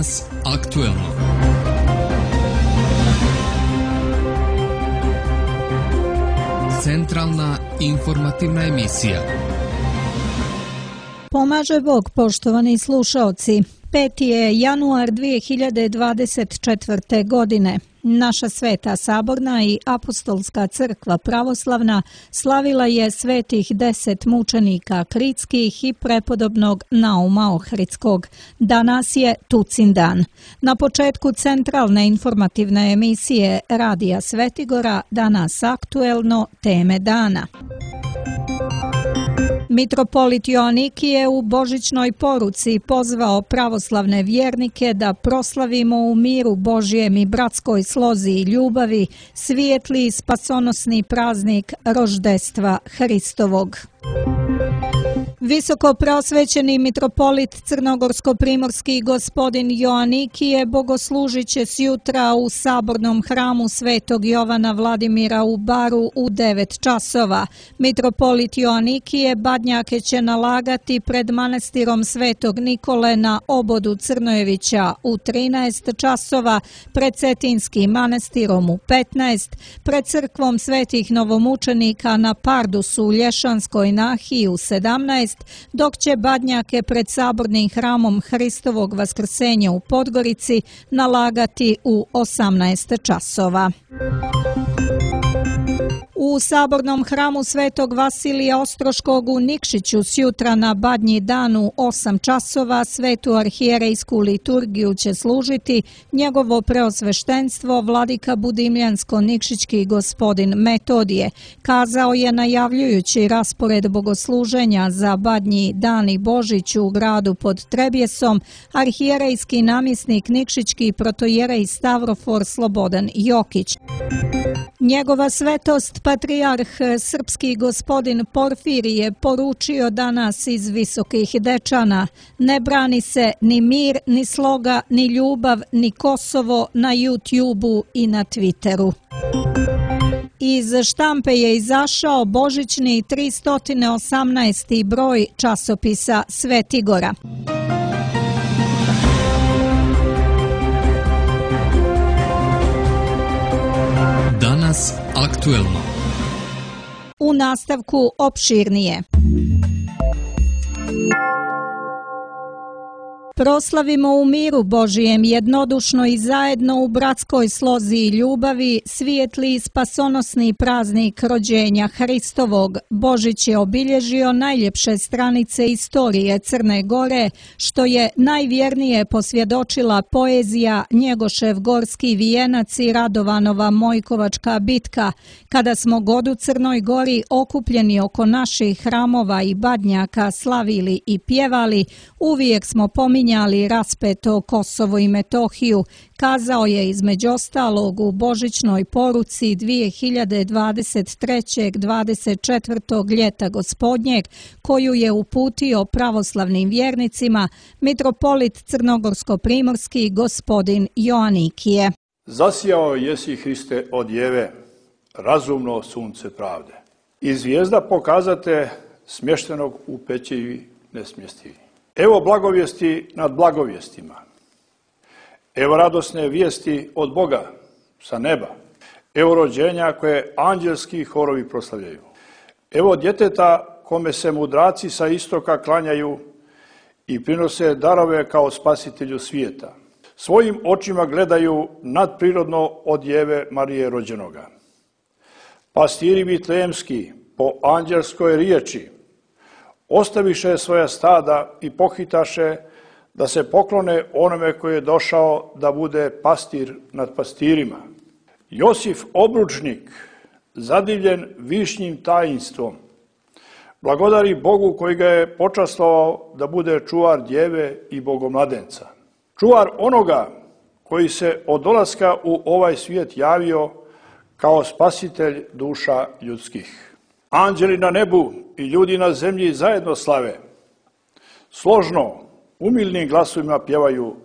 Danas aktuelno. Centralna informativna emisija. Pomaže Bog, poštovani slušaoci. 5. je januar 2024. godine. Naša Sveta Saborna i Apostolska crkva pravoslavna slavila je svetih 10 mučenika kritskih i prepodobnog Nauma Ohridskog. Danas je Tucin dan. Na početku centralne informativne emisije Radija Svetigora danas aktuelno teme dana. Mitropolit Joanikije u božićnoj poruci pozvao pravoslavne vjernike da proslavimo u miru Božjem i bratskoj slozi i ljubavi svijetli spasonosni praznik roždestva Hristovog. Visoko preosvećeni mitropolit Crnogorsko-primorski gospodin Joanikije bogoslužit će sjutra u sabornom hramu Svetog Jovana Vladimira u Baru u 9 časova. Mitropolit Joanikije badnjake će nalagati pred manastirom Svetog Nikole na obodu Crnojevića u 13 časova, pred Cetinskim manastirom u 15, pred crkvom Svetih novomučenika na Pardusu u Lješanskoj nahiji u 17, dok će badnjake pred sabornim hramom Hristovog vaskrsenja u Podgorici nalagati u 18 časova. U sabornom hramu Svetog Vasilija Ostroškog u Nikšiću sjutra na Badnji dan u 8 časova svetu arhijerejsku liturgiju će služiti njegovo preosveštenstvo vladika Budimljansko-Nikšićki gospodin Metodije, kazao je najavljujući raspored bogosluženja za Badnji dan i Božić u gradu pod Trebjesom arhijerejski namjesnik Nikšićki protojerej Stavrofor Slobodan Jokić. Njegova svetost patrijarh srpski gospodin Porfirije je poručio danas iz Visokih Dečana: ne brani se ni mir, ni sloga, ni ljubav, ni Kosovo na YouTubeu i na Twitteru. Iz štampe je izašao božićni 318. broj časopisa Svetigora. Danas aktuelno. U nastavku opširnije. Proslavimo u miru Božijem jednodušno i zajedno u bratskoj slozi i ljubavi svijetli spasonosni praznik rođenja Hristovog. Božić je obilježio najljepše stranice istorije Crne Gore, što je najvjernije posvjedočila poezija Njegošev Gorski vijenac i Radovanova Mojkovačka bitka, kada smo god u Crnoj Gori okupljeni oko naših hramova i badnjaka slavili i pjevali, uvijek smo pominjali raspeto Kosovo i Metohiju, kazao je između ostalog u božićnoj poruci 2023. 24. ljeta gospodnjeg, koju je uputio pravoslavnim vjernicima mitropolit Crnogorsko-primorski gospodin Joanikije. Zasijao jesi, Hriste, od Jeve, razumno sunce pravde. I zvijezda pokazate smještenog u pećevi nesmjestivi. Evo blagovijesti nad blagovjestima. Evo radosne vijesti od Boga sa neba. Evo rođenja koje anđelski horovi proslavljaju. Evo djeteta kome se mudraci sa istoka klanjaju i prinose darove kao spasitelju svijeta. Svojim očima gledaju nadprirodno od Jeve Marije rođenoga. Pastiri vitlejemski po anđelskoj riječi ostaviše svoja stada i pohitaše da se poklone onome koji je došao da bude pastir nad pastirima. Josif obručnik, zadivljen višnjim tajinstvom, blagodari Bogu koji ga je počastvovao da bude čuvar djeve i bogomladenca. Čuvar onoga koji se od dolaska u ovaj svijet javio kao spasitelj duša ljudskih. Anđeli na nebu i ljudi na zemlji zajedno slave. Složno, umilnim glasovima pjevaju: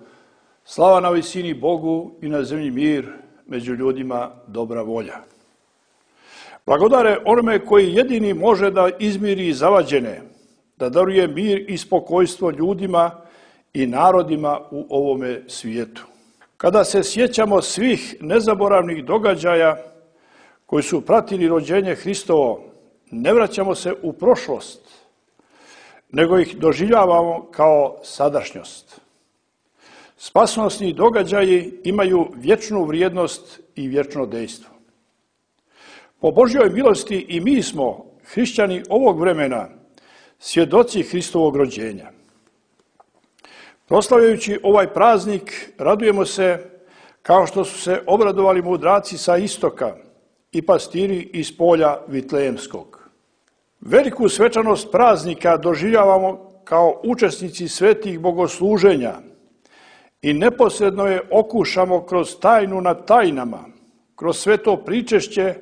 slava na visini Bogu i na zemlji mir, među ljudima dobra volja. Blagodare onome koji jedini može da izmiri zavađene, da daruje mir i spokojstvo ljudima i narodima u ovome svijetu. Kada se sjećamo svih nezaboravnih događaja koji su pratili rođenje Hristovo, ne vraćamo se u prošlost, nego ih doživljavamo kao sadašnjost. Spasonosni događaji imaju vječnu vrijednost i vječno dejstvo. Po Božjoj milosti i mi smo, hrišćani ovog vremena, svjedoci Hristovog rođenja. Proslavljajući ovaj praznik, radujemo se kao što su se obradovali mudraci sa istoka i pastiri iz polja Vitlejemskog. Veliku svečanost praznika doživljavamo kao učesnici svetih bogosluženja i neposredno je okušamo kroz tajnu nad tajnama, kroz sveto pričešće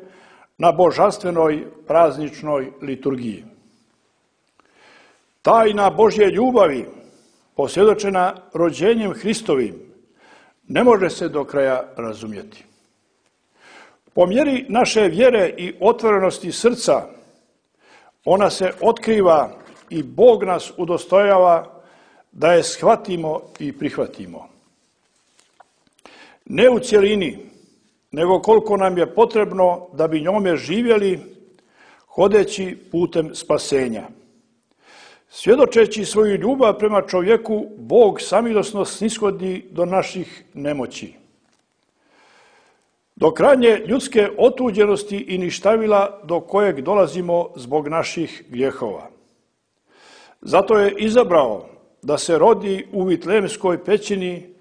na božanstvenoj prazničnoj liturgiji. Tajna Božje ljubavi, posvjedočena rođenjem Hristovim, ne može se do kraja razumjeti. Po mjeri naše vjere i otvorenosti srca, ona se otkriva i Bog nas udostojava da je shvatimo i prihvatimo. Ne u cjelini, nego koliko nam je potrebno da bi njome živjeli, hodeći putem spasenja. Svjedočeći svoju ljubav prema čovjeku, Bog samilosno snishodi do naših nemoći. Do krajnje ljudske otuđenosti i ništavila do kojeg dolazimo zbog naših grijehova. Zato je izabrao da se rodi u Vitlejemskoj pećini,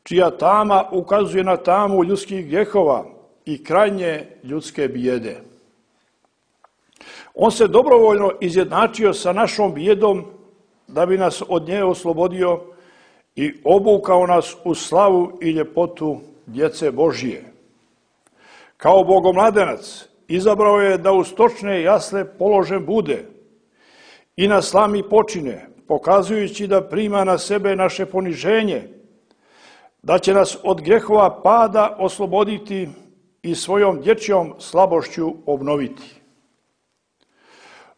čija tama ukazuje na tamu ljudskih grijehova i krajnje ljudske bijede. On se dobrovoljno izjednačio sa našom bijedom da bi nas od nje oslobodio i obukao nas u slavu i ljepotu djece Božije. Kao bogomladenac izabrao je da u stočne jasle položen bude i na slami počine, pokazujući da prima na sebe naše poniženje, da će nas od grehova pada osloboditi i svojom dječjom slabošću obnoviti.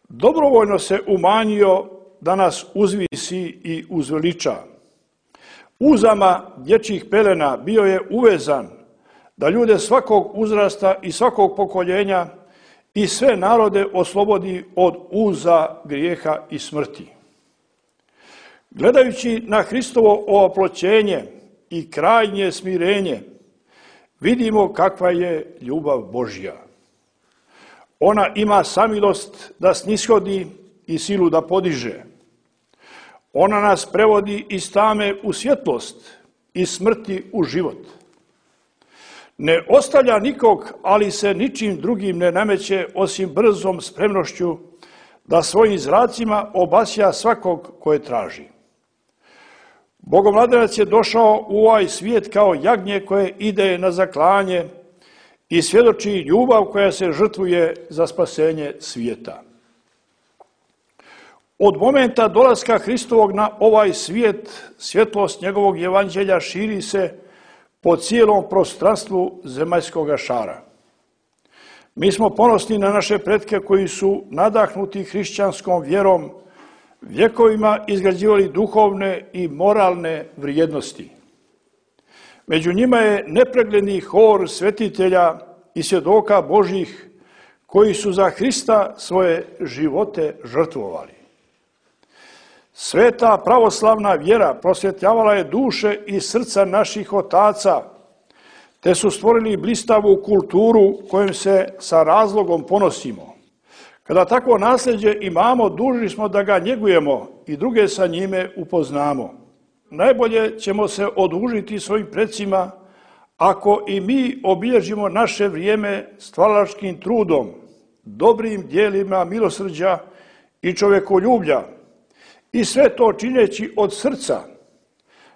Dobrovoljno se umanjio da nas uzvisi i uzveliča. Uzama dječjih pelena bio je uvezan da ljude svakog uzrasta i svakog pokoljenja i sve narode oslobodi od uza grijeha i smrti. Gledajući na Hristovo oploćenje i krajnje smirenje, vidimo kakva je ljubav Božja. Ona ima samilost da snishodi i silu da podiže. Ona nas prevodi iz tame u svjetlost, iz smrti u život. Ne ostavlja nikog, ali se ničim drugim ne nameće osim brzom spremnošću da svojim zracima obasja svakog koje traži. Bogomladenac je došao u ovaj svijet kao jagnje koje ide na zaklanje i svjedoči ljubav koja se žrtvuje za spasenje svijeta. Od momenta dolaska Hristovog na ovaj svijet, svjetlost njegovog evanđelja širi se po cijelom prostranstvu zemaljskog šara. Mi smo ponosni na naše pretke koji su nadahnuti hrišćanskom vjerom vjekovima izgrađivali duhovne i moralne vrijednosti. Među njima je nepregledni hor svetitelja i svjedoka Božjih koji su za Hrista svoje živote žrtvovali. Sveta pravoslavna vjera prosvjetljavala je duše i srca naših otaca, te su stvorili blistavu kulturu kojom se sa razlogom ponosimo. Kada takvo nasljeđe imamo, dužni smo da ga njegujemo i druge sa njime upoznamo. Najbolje ćemo se odužiti svojim predsima ako i mi obilježimo naše vrijeme stvaralačkim trudom, dobrim djelima milosrđa i čovjekoljublja, i sve to čineći od srca,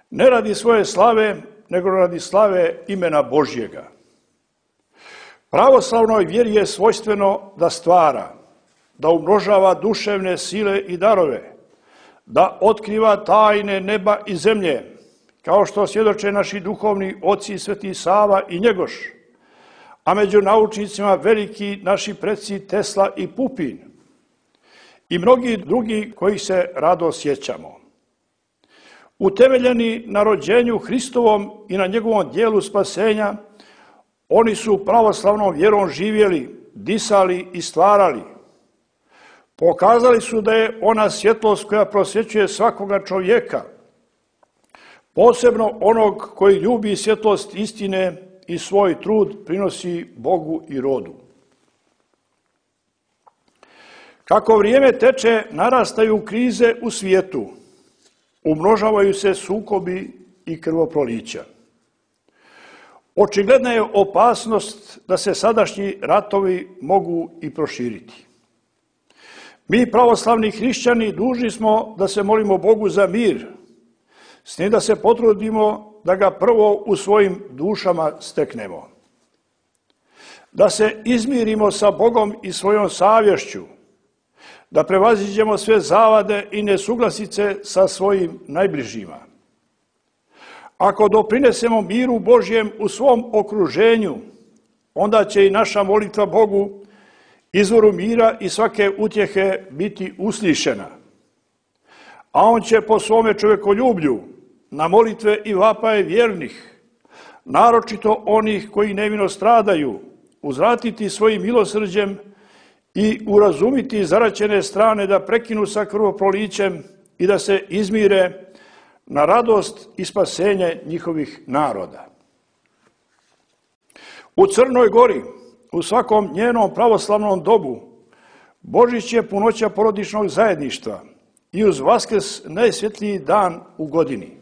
ne radi svoje slave, nego radi slave imena Božjega. Pravoslavnoj vjeri je svojstveno da stvara, da umnožava duševne sile i darove, da otkriva tajne neba i zemlje, kao što svjedoče naši duhovni oci Sveti Sava i Njegoš, a među naučnicima veliki naši preci Tesla i Pupin i mnogi drugi koji se rado sjećamo. Utemeljeni na rođenju Hristovom i na njegovom dijelu spasenja, oni su pravoslavnom vjerom živjeli, disali i stvarali. Pokazali su da je ona svjetlost koja prosvjećuje svakoga čovjeka, posebno onog koji ljubi svjetlost istine i svoj trud prinosi Bogu i rodu. Kako vrijeme teče, narastaju krize u svijetu, umnožavaju se sukobi i krvoprolića. Očigledna je opasnost da se sadašnji ratovi mogu i proširiti. Mi, pravoslavni hrišćani, dužni smo da se molimo Bogu za mir, s tim da se potrudimo da ga prvo u svojim dušama steknemo. Da se izmirimo sa Bogom i svojom savješću, da prevaziđemo sve zavade i nesuglasice sa svojim najbližima. Ako doprinesemo miru Božjem u svom okruženju, onda će i naša molitva Bogu, izvoru mira i svake utjehe, biti uslišena. A on će po svome čovjekoljublju na molitve i vapaje vjernih, naročito onih koji nevino stradaju, uzvratiti svojim milosrđem i urazumiti zaraćene strane da prekinu sa krvoprolićem i da se izmire na radost i spasenje njihovih naroda. U Crnoj Gori, u svakom njenom pravoslavnom dobu, Božić je punoća porodičnog zajedništva i uz Vaskrs najsvjetliji dan u godini.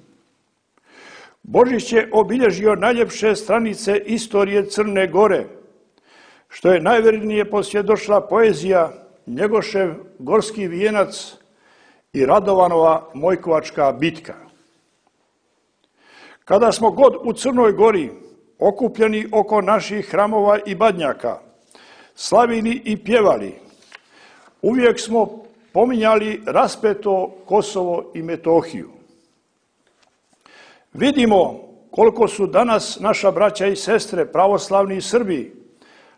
Božić je obilježio najljepše stranice istorije Crne Gore, što je najvjernije posvjedočila poezija Njegošev Gorski vijenac i Radovanova Mojkovačka bitka. Kada smo god u Crnoj Gori, okupljeni oko naših hramova i badnjaka, slavili i pjevali, uvijek smo pominjali raspeto Kosovo i Metohiju. Vidimo koliko su danas naša braća i sestre, pravoslavni Srbi,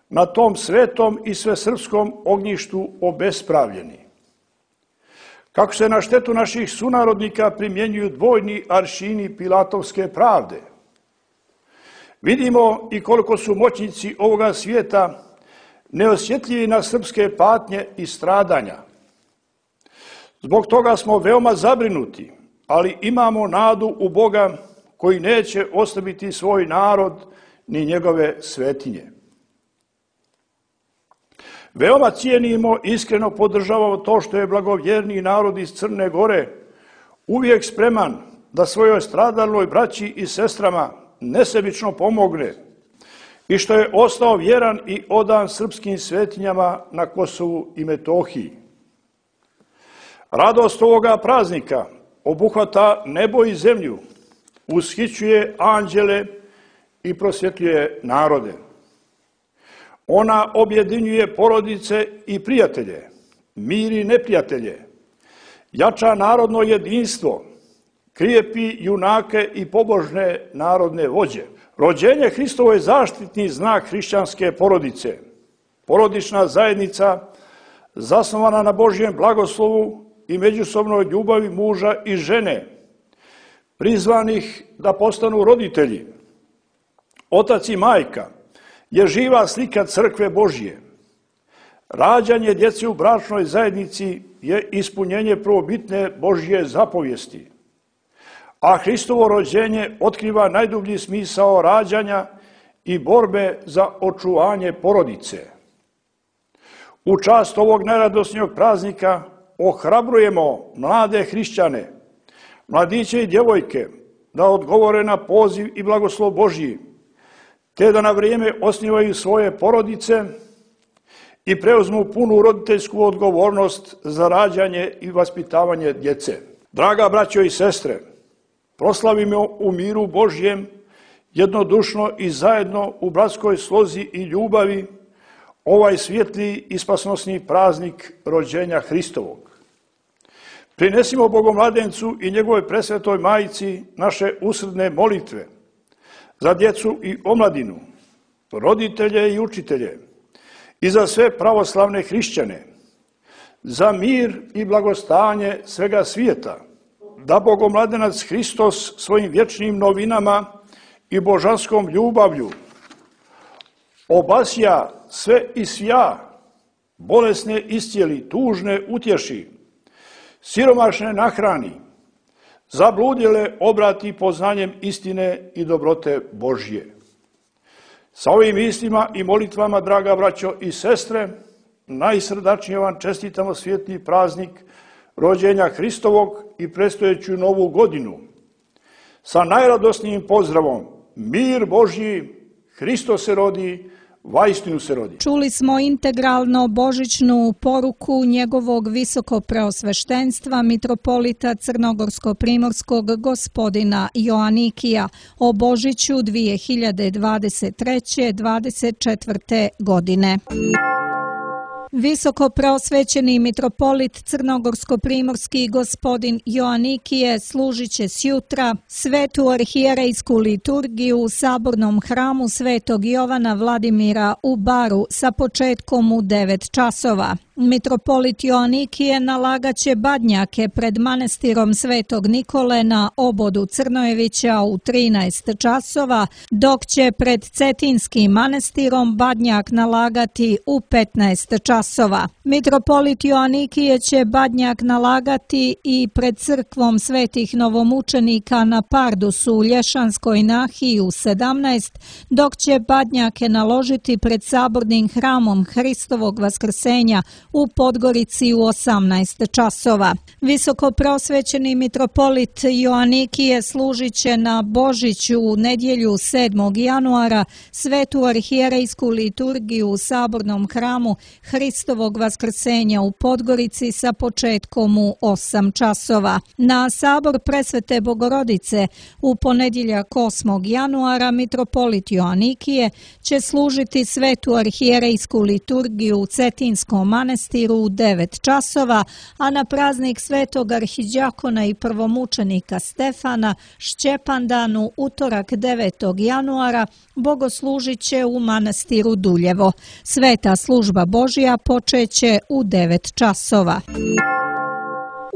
na tom svetom i svesrpskom ognjištu obespravljeni. Kako se na štetu naših sunarodnika primjenjuju dvojni aršini pilatovske pravde. Vidimo i koliko su moćnici ovoga svijeta neosjetljivi na srpske patnje i stradanja. Zbog toga smo veoma zabrinuti, ali imamo nadu u Boga koji neće oslabiti svoj narod ni njegove svetinje. Veoma cijenimo i iskreno podržavamo to što je blagovjerni narod iz Crne Gore uvijek spreman da svojoj stradalnoj braći i sestrama nesebično pomogne i što je ostao vjeran i odan srpskim svetinjama na Kosovu i Metohiji. Radost ovoga praznika obuhvata nebo i zemlju, ushićuje anđele i prosvjetljuje narode. Ona objedinjuje porodice i prijatelje, miri neprijatelje, jača narodno jedinstvo, krijepi junake i pobožne narodne vođe. Rođenje Hristovo je zaštitni znak hrišćanske porodice, porodična zajednica zasnovana na Božjem blagoslovu i međusobnoj ljubavi muža i žene, prizvanih da postanu roditelji. Otac i majka je živa slika crkve Božje. Rađanje djece u bračnoj zajednici je ispunjenje prvobitne Božje zapovijesti, a Hristovo rođenje otkriva najdublji smisao rađanja i borbe za očuvanje porodice. U čast ovog najradosnijeg praznika ohrabrujemo mlade hrišćane, mladiće i djevojke da odgovore na poziv i blagoslov Božji, te da na vrijeme osnivaju svoje porodice i preuzmu punu roditeljsku odgovornost za rađanje i vaspitavanje djece. Draga braćo i sestre, proslavimo u miru Božjem jednodušno i zajedno u bratskoj slozi i ljubavi ovaj svjetli i spasnosni praznik rođenja Hristovog. Prinesimo Bogomladencu i njegovoj presvetoj majici naše usrdne molitve za djecu i omladinu, roditelje i učitelje i za sve pravoslavne hrišćane, za mir i blagostanje svega svijeta. da Bogomladenac Hristos svojim vječnim novinama i božanskom ljubavlju obasja sve i svja, bolesne iscijeli, tužne utješi, siromašne nahrani, zabludjele obrati poznanjem istine i dobrote Božje. Sa ovim mislima i molitvama, draga braćo i sestre, najsrdačnije vam čestitamo svjetli praznik rođenja Hristovog i predstojeću novu godinu. Sa najradosnijim pozdravom, mir Božji, Hristos se rodi, vaistinu se rodi. Čuli smo integralno božićnu poruku njegovog visokopreosveštenstva mitropolita crnogorsko-primorskog gospodina Joanikija o Božiću 2023-24. godine. Visoko preosvećeni mitropolit crnogorsko-primorski gospodin Joanikije služit će sjutra svetu arhijerejsku liturgiju u sabornom hramu Svetog Jovana Vladimira u Baru sa početkom u 9 časova. Mitropolit Joanikije nalagaće badnjake pred manestirom Svetog Nikole na obodu Crnojevića u 13 časova, dok će pred Cetinskim manestirom badnjak nalagati u 15 časova. Mitropolit Joanikije će badnjak nalagati i pred crkvom Svetih novomučenika na Pardusu u Lješanskoj nahiji u 17, dok će badnjake naložiti pred sabornim hramom Hristovog vaskrsenja u Podgorici u 18 časova. Visoko preosvećeni mitropolit Joanikije služit će na Božiću u nedjelju 7. januara svetu arhijerejsku liturgiju u sabornom hramu Hristovog vaskrsenja u Podgorici sa početkom u 8 časova. Na sabor Presvete Bogorodice u ponedjeljak 8. januara mitropolit Joanikije će služiti svetu arhijerejsku liturgiju u Cetinskom manestiru u 9 časova, a na praznik svetog arhidjakona i prvomučenika Stefana Šćepandanu utorak 9. januara bogoslužit će u manastiru Duljevo. Sveta služba Božja počeće u 9 časova.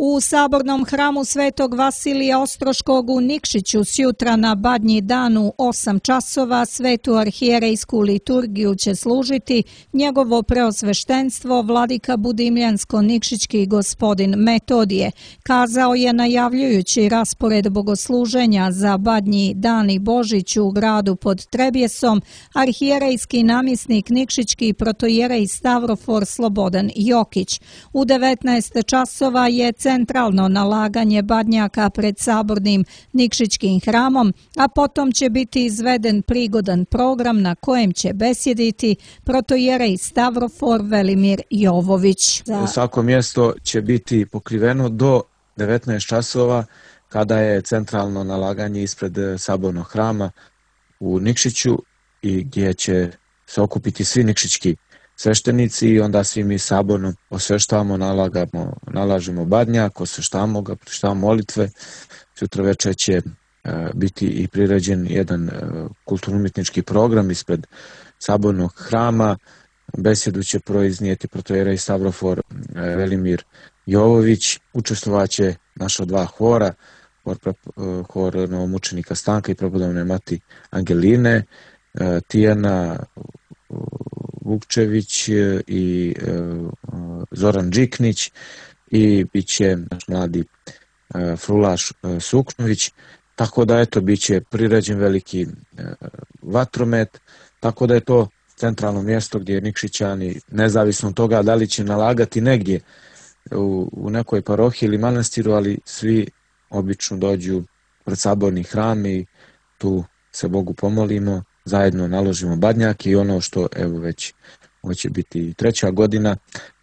U sabornom hramu Svetog Vasilija Ostroškog u Nikšiću sjutra na Badnji dan u 8 časova svetu arhijerejsku liturgiju će služiti njegovo preosveštenstvo vladika Budimljansko-Nikšićki gospodin Metodije. Kazao je najavljujući raspored bogosluženja za Badnji dan i Božić u gradu pod Trebjesom arhijerejski namjesnik Nikšićki protojerej Stavrofor Slobodan Jokić. U 19 časova je centralno nalaganje badnjaka pred sabornim Nikšićkim hramom, a potom će biti izveden prigodan program na kojem će besjediti protojerej Stavrofor Velimir Jovović. Svako mjesto će biti pokriveno do 19 časova kada je centralno nalaganje ispred sabornog hrama u Nikšiću i gdje će se okupiti svi nikšićki sveštenici i onda svi mi saborno osveštavamo, nalažemo badnjak, osveštavamo ga, pročitavamo molitve. Sutra večer će biti i priređen jedan kulturno-umjetnički program ispred sabornog hrama. Besjedu će proiznijeti protojerej Stavrofor Velimir Jovović. Učestvovat će naša 2 hora, hor novomučenika Stanka i prepodobne mati Angeline, Tijana Vukčević i Zoran Điknić i bit će naš mladi frulaš Suknović, tako da bit će priređen veliki vatromet, tako da je to centralno mjesto gdje Nikšićani, nezavisno od toga da li će nalagati negdje u nekoj parohiji ili manastiru, ali svi obično dođu pred saborni hram i tu se Bogu pomolimo, zajedno naložimo badnjak i ono što već ovo će biti 3. godina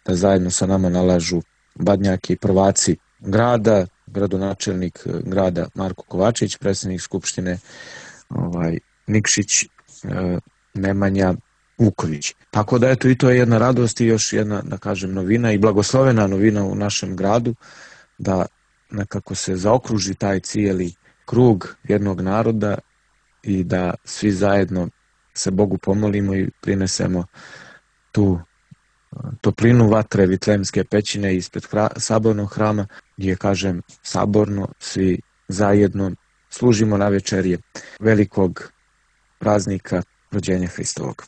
da zajedno sa nama nalažu badnjaki i prvaci grada, gradonačelnik grada Marko Kovačević, predsjednik Skupštine Nikšić Nemanja Vuković. Tako da i to je jedna radost i još jedna, da kažem, novina i blagoslovena novina u našem gradu, da nekako se zaokruži taj cijeli krug jednog naroda i da svi zajedno se Bogu pomolimo i prinesemo tu toplinu vatre Vitlejemske pećine ispred sabornog hrama, gdje, kažem, saborno svi zajedno služimo na večerje velikog praznika rođenja Hristovog.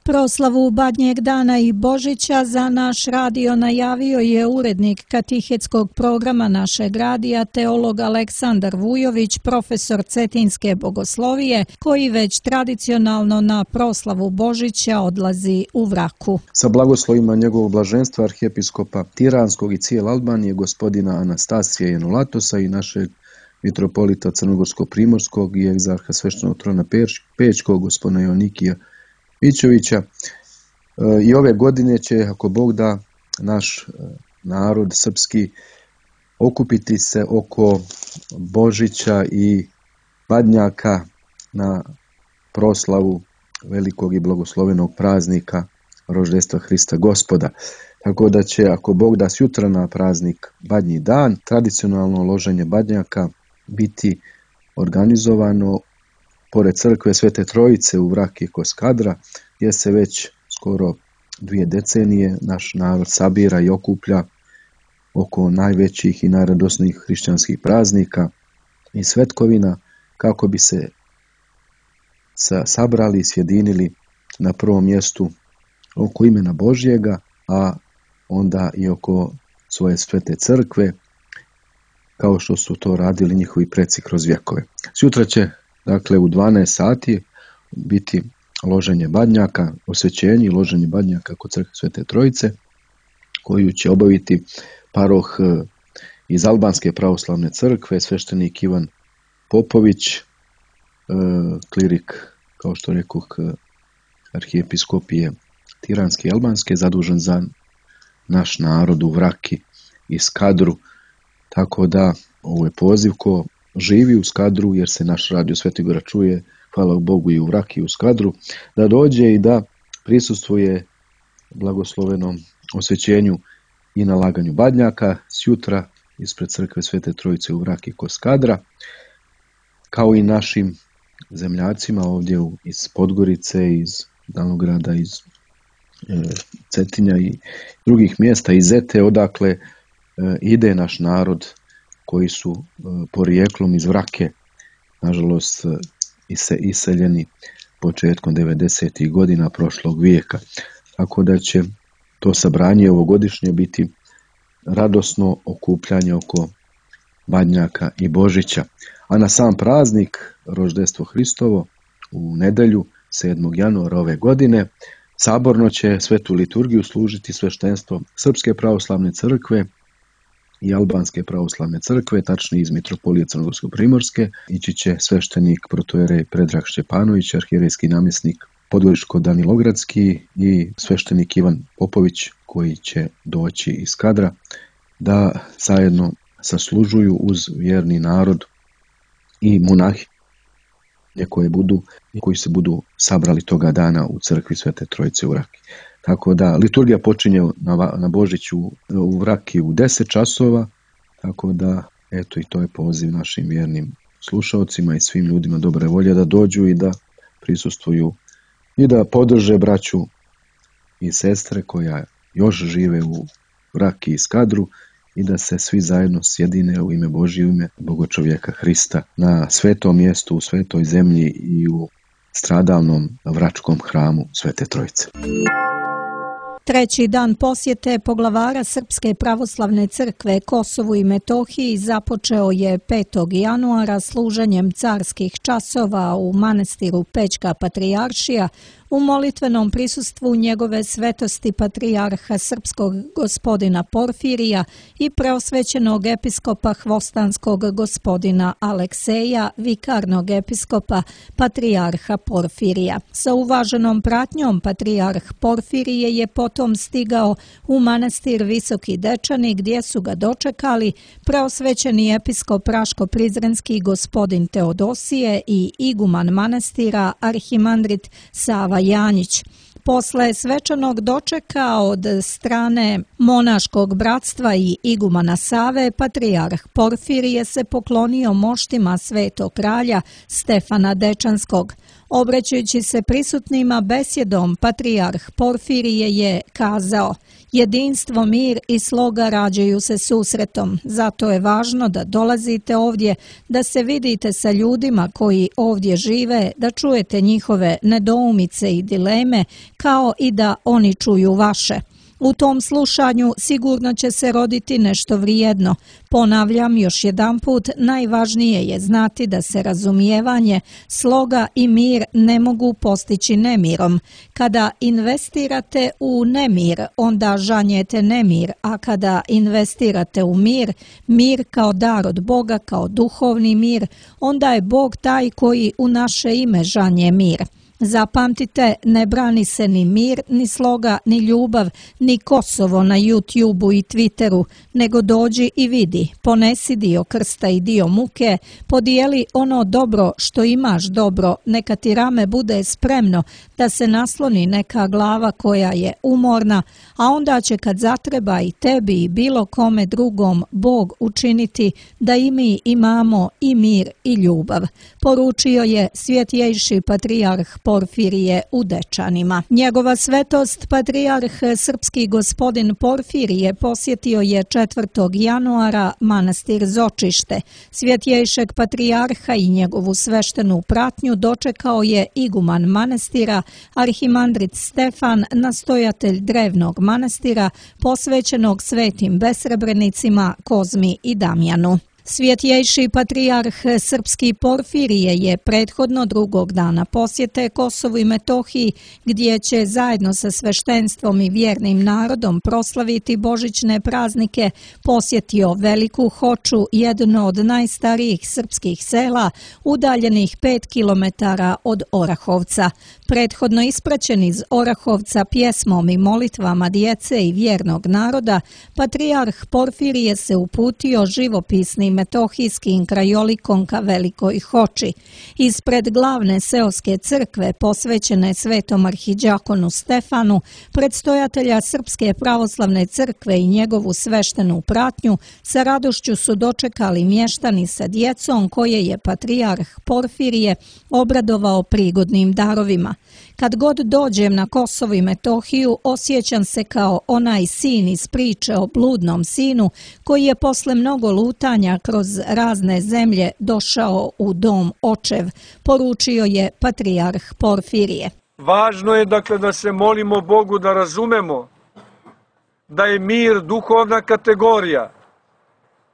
Proslavu Badnjeg dana i Božića za naš radio najavio je urednik katehetskog programa našeg radija, teolog Aleksandar Vujović, profesor Cetinske bogoslovije, koji već tradicionalno na proslavu Božića odlazi u Vraku. Sa blagoslovima njegovog blaženstva arhijepiskopa Tiranskog i cijele Albanije, gospodina Anastasija Jenulatosa i našeg mitropolita Crnogorsko-Primorskog i egzarha sveštenog trona Pećkog, gospodina Jonikija Mićovića. I ove godine će, ako Bog da, naš narod srpski okupiti se oko Božića i Badnjaka na proslavu velikog i blagoslovenog praznika rođenstva Hrista Gospoda. Tako da će, ako Bog da, sutra na praznik Badnji dan, tradicionalno loženje badnjaka biti organizovano pored crkve Svete Trojice u Vraki kod Skadra, gdje se već skoro 2 decenije naš narod sabira i okuplja oko najvećih i najradosnijih hrišćanskih praznika i svetkovina, kako bi se sabrali i sjedinili na prvom mjestu oko imena Božjega, a onda i oko svoje svete crkve, kao što su to radili njihovi preci kroz vjekove. Sutra će, dakle, u 12 sati biti loženje badnjaka, osvećenje i loženje badnjaka kod crkve Svete Trojice, koju će obaviti paroh iz Albanske pravoslavne crkve, sveštenik Ivan Popović, klirik, kao što rekoh, arhijepiskopije Tiranske i Albanske, zadužen za naš narod u Vraki i Skadru. Tako da ovo je poziv ko živi u Skadru, jer se naš radio Sveti Gora čuje, hvala Bogu, i u Vraki i u Skadru, da dođe i da prisustvuje blagoslovenom osvećenju i nalaganju badnjaka sutra ispred crkve Svete Trojice u Vraki kod Skadra, kao i našim zemljacima ovdje iz Podgorice, iz Danograda, iz Cetinja i drugih mjesta, iz Zete, odakle ide naš narod, koji su porijeklom iz Vrake, nažalost, iseljeni početkom 90. godina prošlog vijeka. Tako da će to sabranje ovogodišnje biti radosno okupljanje oko Badnjaka i Božića. A na sam praznik, rođenstvo Hristovo, u nedjelju 7. januara ove godine, saborno će svetu liturgiju služiti sveštenstvo Srpske pravoslavne crkve i Albanske pravoslavne crkve, tačnije iz mitropolije Crnogorsko-Primorske. Ići će sveštenik protojerej Predrag Šćepanović, arhijerejski namjesnik Podgoričko-Danilogradski, i sveštenik Ivan Popović, koji će doći iz Skadra, da zajedno saslužuju uz vjerni narod i monahi koji se budu sabrali toga dana u crkvi Svete Trojice u Vraki. Tako da liturgija počinje na Božiću u Vraki u 10 časova, tako da eto, i to je poziv našim vjernim slušaocima i svim ljudima dobre volje da dođu i da prisustvuju i da podrže braću i sestre koja još žive u Vraki i Skadru, i da se svi zajedno sjedine u ime Božje, u ime Bogočovjeka Hrista, na svetom mjestu, u svetoj zemlji i u stradalnom vračkom hramu Svete Trojice. Treći dan posjete poglavara Srpske pravoslavne crkve Kosovu i Metohiji započeo je 5. januara služenjem carskih časova u manastiru Pećka Patrijaršija u molitvenom prisustvu njegove svetosti patrijarha srpskog gospodina Porfirija i preosvećenog episkopa hvostanskog gospodina Alekseja, vikarnog episkopa patrijarha Porfirija. Sa uvaženom pratnjom patrijarh Porfirije je potom stigao u manastir Visoki Dečani, gdje su ga dočekali preosvećeni episkop Raško-Prizrenski gospodin Teodosije i iguman manastira arhimandrit Sava Janjić. Posle svečanog dočeka od strane monaškog bratstva i igumana Save, patrijarh Porfirije se poklonio moštima svetog kralja Stefana Dečanskog. Obraćajući se prisutnima besjedom, patrijarh Porfirije je kazao: jedinstvo, mir i sloga rađaju se susretom, zato je važno da dolazite ovdje, da se vidite sa ljudima koji ovdje žive, da čujete njihove nedoumice i dileme, kao i da oni čuju vaše. U tom slušanju sigurno će se roditi nešto vrijedno. Ponavljam još jedanput, najvažnije je znati da se razumijevanje, sloga i mir ne mogu postići nemirom. Kada investirate u nemir, onda žanjete nemir, a kada investirate u mir, mir kao dar od Boga, kao duhovni mir, onda je Bog taj koji u naše ime žanje mir. Zapamtite, ne brani se ni mir, ni sloga, ni ljubav, ni Kosovo na YouTubeu i Twitteru, nego dođi i vidi, ponesi dio krsta i dio muke, podijeli ono dobro što imaš dobro, neka ti rame bude spremno da se nasloni neka glava koja je umorna, a onda će kad zatreba i tebi i bilo kome drugom Bog učiniti da i mi imamo i mir i ljubav, poručio je svjetjejši patrijarh Porfirije u Dečanima. Njegova svetost, patrijarh srpski gospodin Porfirije, posjetio je 4. januara manastir Zočište. Svjetjejšeg patrijarha i njegovu sveštenu pratnju dočekao je iguman manastira, arhimandrit Stefan, nastojatelj drevnog manastira posvećenog svetim besrebrenicima Kozmi i Damjanu. Svjetjejši patrijarh srpski Porfirije je prethodno drugog dana posjete Kosovu i Metohiji, gdje će zajedno sa sveštenstvom i vjernim narodom proslaviti božićne praznike, posjetio Veliku Hoču, jedno od najstarijih srpskih sela, udaljenih 5 kilometara od Orahovca. Prethodno ispraćen iz Orahovca pjesmom i molitvama djece i vjernog naroda, patrijarh Porfirije se uputio živopisnim metohijskim krajolikom ka Velikoj Hoči. Ispred glavne seoske crkve posvećene svetom arhidžakonu Stefanu, predstojatelja Srpske pravoslavne crkve i njegovu sveštenu pratnju, sa radošću su dočekali mještani sa djecom koje je patrijarh Porfirije obradovao prigodnim darovima. Kad god dođem na Kosovo i Metohiju, osjećam se kao onaj sin iz priče o bludnom sinu koji je posle mnogo lutanja kroz razne zemlje došao u dom očev, poručio je patrijarh Porfirije. Važno je dakle da se molimo Bogu, da razumemo da je mir duhovna kategorija,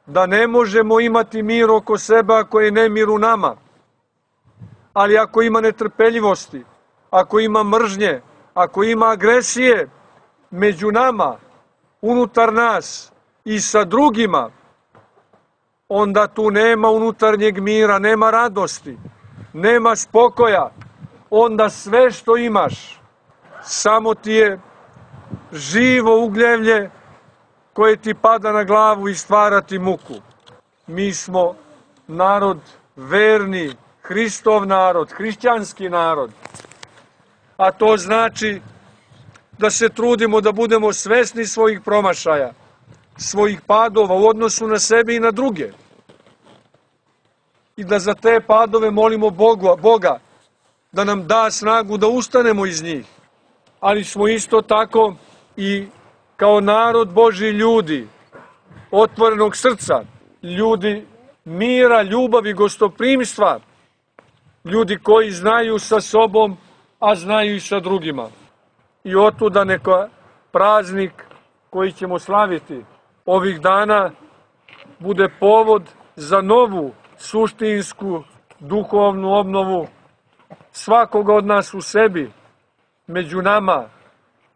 da ne možemo imati mir oko sebe ako je nemir u nama, ali ako ima netrpeljivosti, ako ima mržnje, ako ima agresije među nama, unutar nas i sa drugima, onda tu nema unutarnjeg mira, nema radosti, nema spokoja. Onda sve što imaš samo ti je živo ugljevlje koje ti pada na glavu i stvara ti muku. Mi smo narod verni, Hristov narod, hrišćanski narod. A to znači da se trudimo da budemo svesni svojih promašaja, svojih padova u odnosu na sebe i na druge. I da za te padove molimo Boga da nam da snagu da ustanemo iz njih. Ali smo isto tako i kao narod Božji ljudi, otvorenog srca, ljudi mira, ljubavi, gostoprimstva, ljudi koji znaju sa sobom, a znaju i sa drugima. I otuda neka praznik koji ćemo slaviti ovih dana bude povod za novu suštinsku duhovnu obnovu svakoga od nas u sebi, među nama,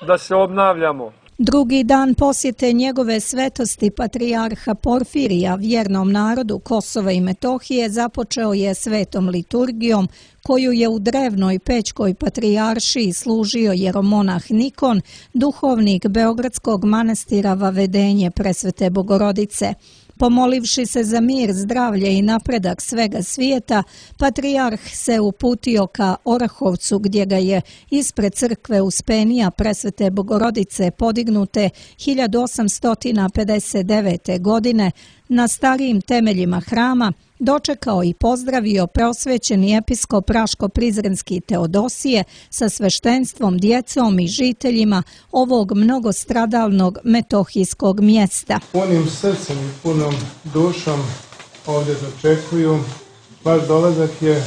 da se obnavljamo. Drugi dan posjete njegove svetosti patrijarha Porfirija vjernom narodu Kosova i Metohije započeo je svetom liturgijom koju je u drevnoj Pećkoj patrijaršiji služio jeromonah Nikon, duhovnik Beogradskog manastira Vavedenje Presvete Bogorodice. Pomolivši se za mir, zdravlje i napredak svega svijeta, patrijarh se uputio ka Orahovcu gdje ga je ispred crkve Uspenija Presvete Bogorodice podignute 1859. godine na starijim temeljima hrama dočekao i pozdravio preosvećeni episkop Raško-Prizrenski Teodosije sa sveštenstvom, djecom i žiteljima ovog mnogostradalnog metohijskog mjesta. Punim srcem i punom dušom ovdje dočekuju. Vaš dolazak je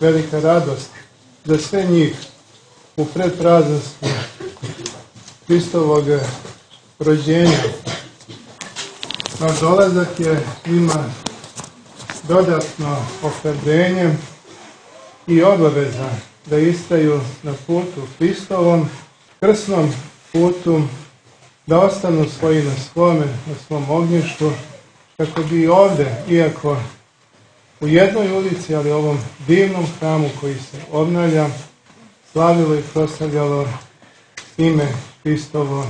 velika radost za sve njih u predpraznosti Hristovog rođenja. Vaš dolazak je njima dodatno ohrabrenje i obaveza da istaju na putu Hristovom, krsnom putu, da ostanu svoji na svom ognjištu, kako bi ovdje, iako u jednoj ulici, ali ovom divnom hramu koji se obnavlja, slavilo i proslavljalo ime Hristovo,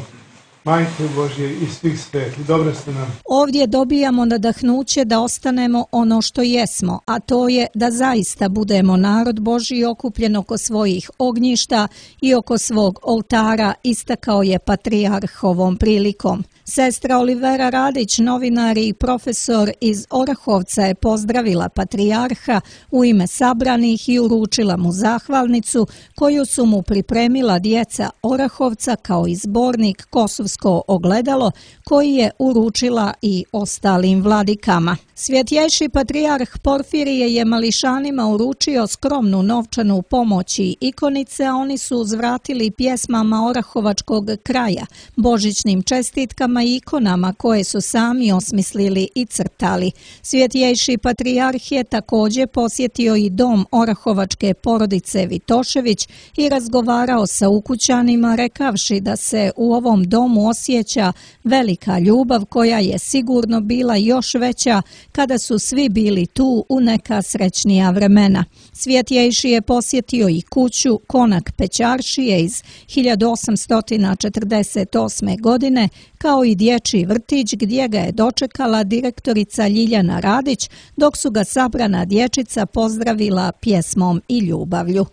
Majke Božje i svih svetih. Dobro ste nam. Ovdje dobijamo nadahnuće da ostanemo ono što jesmo, a to je da zaista budemo narod Božji okupljen oko svojih ognjišta i oko svog oltara, istakao je patrijarh ovom prilikom. Sestra Olivera Radić, novinar i profesor iz Orahovca, je pozdravila patrijarha u ime sabranih i uručila mu zahvalnicu koju su mu pripremila djeca Orahovca kao i zbornik Kosovsko ogledalo koji je uručila i ostalim vladikama. Svjetjejši patrijarh Porfirije je mališanima uručio skromnu novčanu pomoć i ikonice, a oni su uzvratili pjesmama orahovačkog kraja, božićnim čestitkama i ikonama koje su sami osmislili i crtali. Svjetjejši patrijarh je također posjetio i dom orahovačke porodice Vitošević i razgovarao sa ukućanima, rekavši da se u ovom domu osjeća velika ljubav koja je sigurno bila još veća kada su svi bili tu u neka srećnija vremena. Svjetjejši je posjetio i kuću Konak Pećaršije iz 1848. godine, kao i dječji vrtić gdje ga je dočekala direktorica Ljiljana Radić, dok su ga sabrana dječica pozdravila pjesmom i ljubavlju.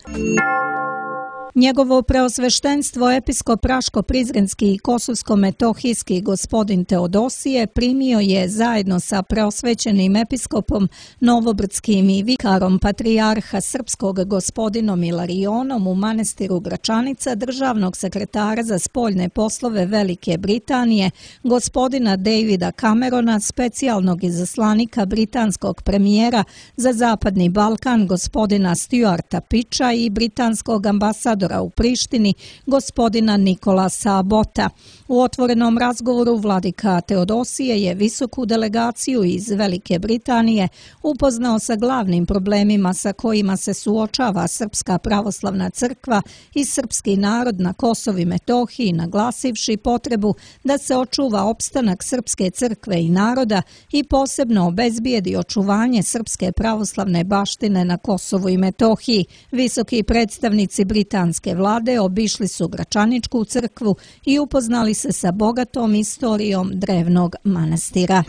Njegovo preosveštenstvo episkop Raško-Prizrenski i Kosovsko-metohijski gospodin Teodosije primio je zajedno sa preosvećenim episkopom Novobrdskim i vikarom patrijarha srpskog gospodinom Ilarionom u manastiru Gračanica državnog sekretara za spoljne poslove Velike Britanije, gospodina Davida Camerona, specijalnog izaslanika britanskog premijera za Zapadni Balkan, gospodina Stuarta Pitcha i britanskog ambasadora u Prištini, gospodina Nikolasa Abota. U otvorenom razgovoru vladika Teodosije je visoku delegaciju iz Velike Britanije upoznao sa glavnim problemima sa kojima se suočava Srpska pravoslavna crkva i srpski narod na Kosovu i Metohiji, naglasivši potrebu da se očuva opstanak srpske crkve i naroda i posebno obezbijedi očuvanje srpske pravoslavne baštine na Kosovu i Metohiji. Visoki predstavnici britanske vlade obišli su Gračaničku crkvu i upoznali se sa bogatom istorijom drevnog manastira.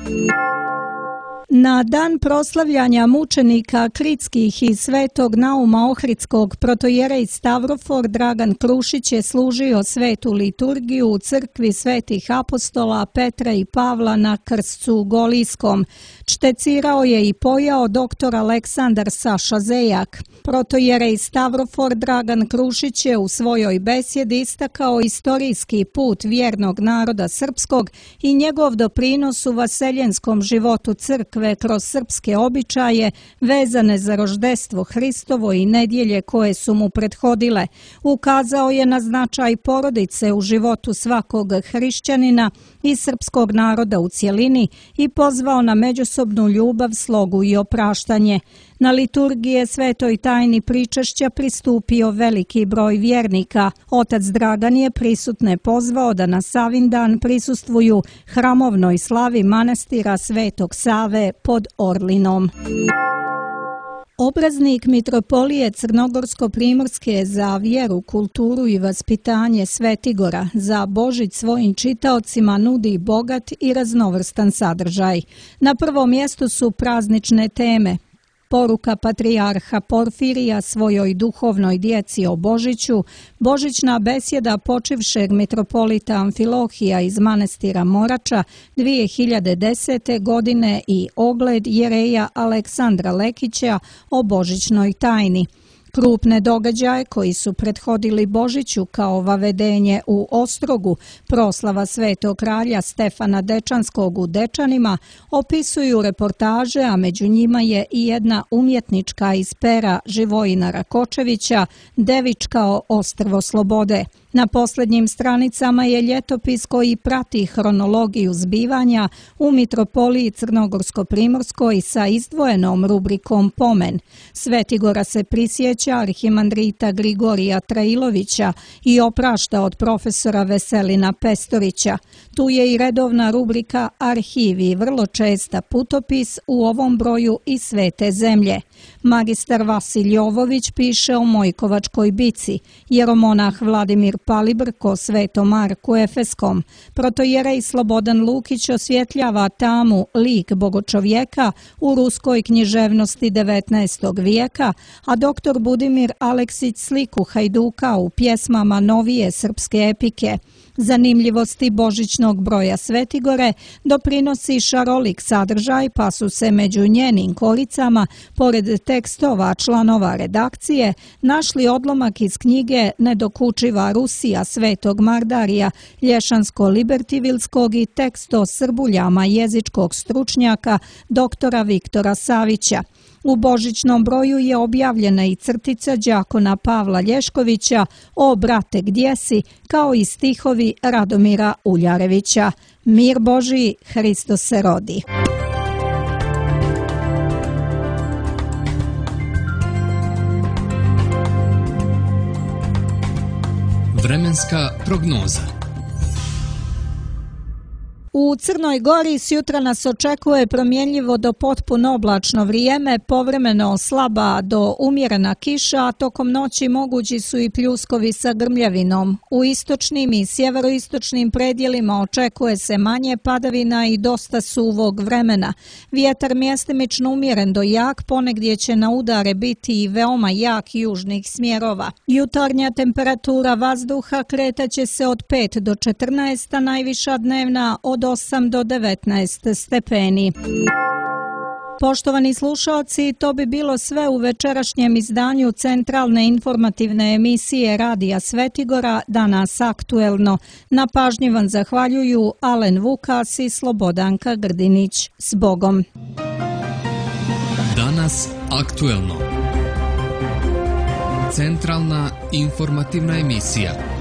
Na dan proslavljanja mučenika Kritskih i Svetog Nauma Ohridskog protojerej Stavrofor Dragan Krušić je služio svetu liturgiju u crkvi svetih apostola Petra i Pavla na Krscu Golijskom. Čtecirao je i pojao dr. Aleksandar Saša Zejak. Protojerej Stavrofor Dragan Krušić je u svojoj besjedi istakao istorijski put vjernog naroda srpskog i njegov doprinos u vaseljenskom životu crkve kroz srpske običaje vezane za roždestvo Hristovo i nedjelje koje su mu prethodile. Ukazao je na značaj porodice u životu svakog hrišćanina i srpskog naroda u cjelini i pozvao na međusobnu ljubav, slogu i opraštanje. Na liturgije svetoj tajni pričešća pristupio veliki broj vjernika. Otac Dragan je prisutne pozvao da na Savindan prisustvuju hramovnoj slavi manastira Svetog Save pod Orlinom. Obraznik mitropolije Crnogorsko-primorske za vjeru, kulturu i vaspitanje Svetigora za Božić svojim čitaocima nudi bogat i raznovrstan sadržaj. Na prvom mjestu su praznične teme. Poruka patrijarha Porfirija svojoj duhovnoj djeci o Božiću, božićna besjeda počivšeg mitropolita Amfilohija iz manastira Morača 2010. godine i ogled jereja Aleksandra Lekića o božićnoj tajni. Krupne događaje koji su prethodili Božiću kao vavedenje u Ostrogu, proslava svetog kralja Stefana Dečanskog u Dečanima, opisuju reportaže, a među njima je i jedna umjetnička iz pera Živojina Rakočevića, Devičkao ostrvo slobode. Na posljednjim stranicama je ljetopis koji prati hronologiju zbivanja u mitropoliji Crnogorsko-primorskoj sa izdvojenom rubrikom Pomen. Svetigora se prisjeća arhimandrita Grigorija Trailovića i oprašta od profesora Veselina Pestorića. Tu je i redovna rubrika Arhivi, vrlo česta putopis u ovom broju i Svete zemlje. Magistar Vasilj Jovović piše o Mojkovačkoj bici, jeromonah Vladimir Palibrko Svetom Marku Efeskom, protojerej Slobodan Lukić osvjetljava tamu lik bogočovjeka u ruskoj književnosti 19. vijeka, a doktor Budimir Aleksić sliku Hajduka u pjesmama novije srpske epike. Zanimljivosti božićnog broja Svetigore doprinosi šarolik sadržaj, pa su se među njenim koricama, pored tekstova članova redakcije, našli odlomak iz knjige Nedokučiva Rusija Svetog Mardarija Lješansko-Libertivilskog i tekst o srbuljama jezičkog stručnjaka doktora Viktora Savića. U božićnom broju je objavljena i crtica đakona Pavla Lješkovića O brate gdje si, kao i stihovi Radomira Uljarevića. Mir Božiji, Hristos se rodi. Vremenska prognoza. U Crnoj Gori sjutra nas očekuje promjenljivo do potpuno oblačno vrijeme, povremeno slaba do umjerena kiša, a tokom noći mogući su i pljuskovi sa grmljavinom. U istočnim i sjeveroistočnim predjelima očekuje se manje padavina i dosta suvog vremena. Vjetar mjestimično umjeren do jak, ponegdje će na udare biti i veoma jak južnih smjerova. Jutarnja temperatura vazduha kretaće se od 5 do 14, a najviša dnevna od 8 do 19 stepeni. Poštovani slušalci, to bi bilo sve u večerašnjem izdanju centralne informativne emisije Radija Svetigora, danas aktuelno. Na pažnji vam zahvaljuju Alen Vukas i Slobodanka Grdinić. S Bogom! Danas aktuelno. Centralna informativna emisija.